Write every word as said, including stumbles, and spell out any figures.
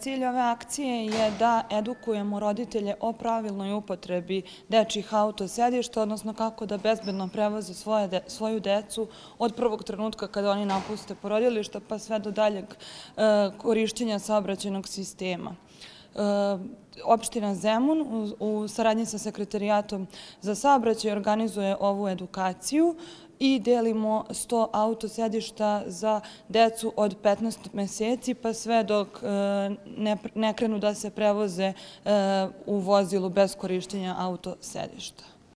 Cilj ove akcije je da edukujemo roditelje o pravilnoj upotrebi dečjih autosedišta, odnosno kako da bezbedno prevoze svoju decu od prvog trenutka kada oni napuste porodilište pa sve do daljeg korišćenja saobraćajnog sistema. Opština Zemun u saradnji sa Sekretarijatom za saobraćaj organizuje ovu edukaciju i delimo sto autosedišta za decu od petnaest meseci pa sve dok ne krenu da se prevoze u vozilu bez korišćenja autosedišta.